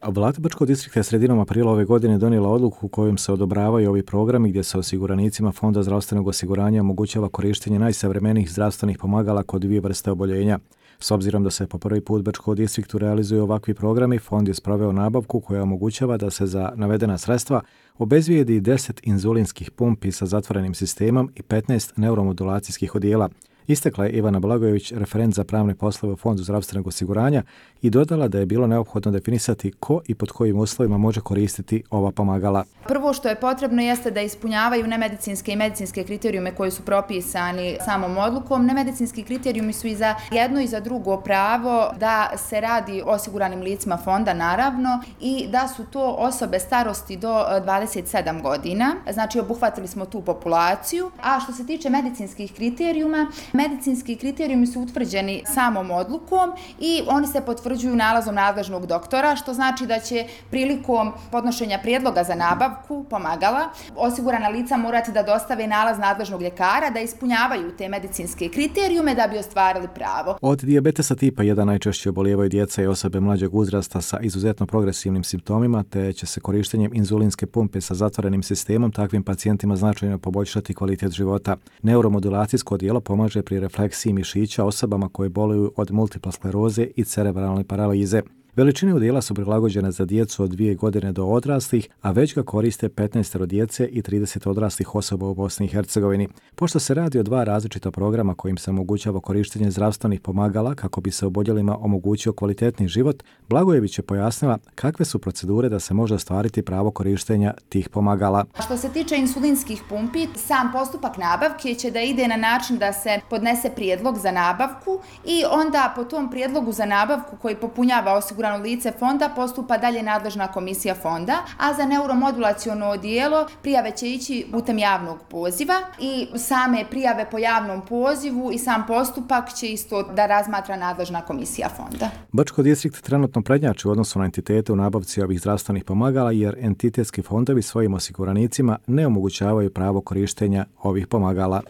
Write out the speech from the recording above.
Vlada Brčkog distrikta je sredinom aprila ove godine donijela odluku kojom se odobravaju ovi programi gdje se osiguranicima Fonda zdravstvenog osiguranja omogućava korištenje najsavremenijih zdravstvenih pomagala kod dvije vrste oboljenja. S obzirom da se po prvi put Brčkom distriktu realizuju ovakvi programi, Fond je sproveo nabavku koja omogućava da se za navedena sredstva obezbijedi 10 inzulinskih pumpi sa zatvorenim sistemom i 15 neuromodulacijskih odijela. Istakla je Ivana Blagojević, referent za pravne poslove u Fondu zdravstvenog osiguranja, i dodala da je bilo neophodno definisati ko i pod kojim uslovima može koristiti ova pomagala. Prvo što je potrebno jeste da ispunjavaju nemedicinske i medicinske kriterijume koji su propisani samom odlukom. Nemedicinski kriterijumi su i za jedno i za drugo pravo da se radi o osiguranim licima fonda, naravno, i da su to osobe starosti do 27 godina. Znači, obuhvatili smo tu populaciju. A što se tiče medicinskih kriterijuma, medicinski kriterijumi su utvrđeni samom odlukom i oni se potvrđuju nalazom nadležnog doktora, što znači da će prilikom podnošenja prijedloga za nabavku pomagala osigurana lica morati da dostave nalaz nadležnog ljekara da ispunjavaju te medicinske kriterijume da bi ostvarili pravo. Od dijabetesa tipa 1 najčešće obolijevaju djeca i osobe mlađeg uzrasta sa izuzetno progresivnim simptomima, te će se korištenjem inzulinske pumpe sa zatvorenim sistemom takvim pacijentima značajno poboljšati kvalitet života. Neuromodulacijsko odijelo pomaže pri refleksiji mišića osobama koje boluju od multiple skleroze i cerebralne paralize. Veličine odijela su prilagođene za djecu od 2 godine do odraslih, a već ga koriste 15 djece i 30 odraslih osoba u Bosni i Hercegovini. Pošto se radi o 2 različita programa kojim se omogućava korištenje zdravstvenih pomagala kako bi se oboljelima omogućio kvalitetni život, Blagojević je pojasnila kakve su procedure da se može ostvariti pravo korištenja tih pomagala. Što se tiče insulinskih pumpi, sam postupak nabavke će da ide na način da se podnese prijedlog za nabavku i onda po tom prijedlogu za nabavku koji popunjava osigurano lice fonda postupa dalje nadležna komisija fonda, a za neuromodulaciono odijelo prijave će ići putem javnog poziva i same prijave po javnom pozivu i sam postupak će isto da razmatra nadležna komisija fonda. Brčko distrikt trenutno prednjači u odnosu na entitete u nabavci ovih zdravstvenih pomagala jer entitetski fondovi svojim osiguranicima ne omogućavaju pravo korištenja ovih pomagala.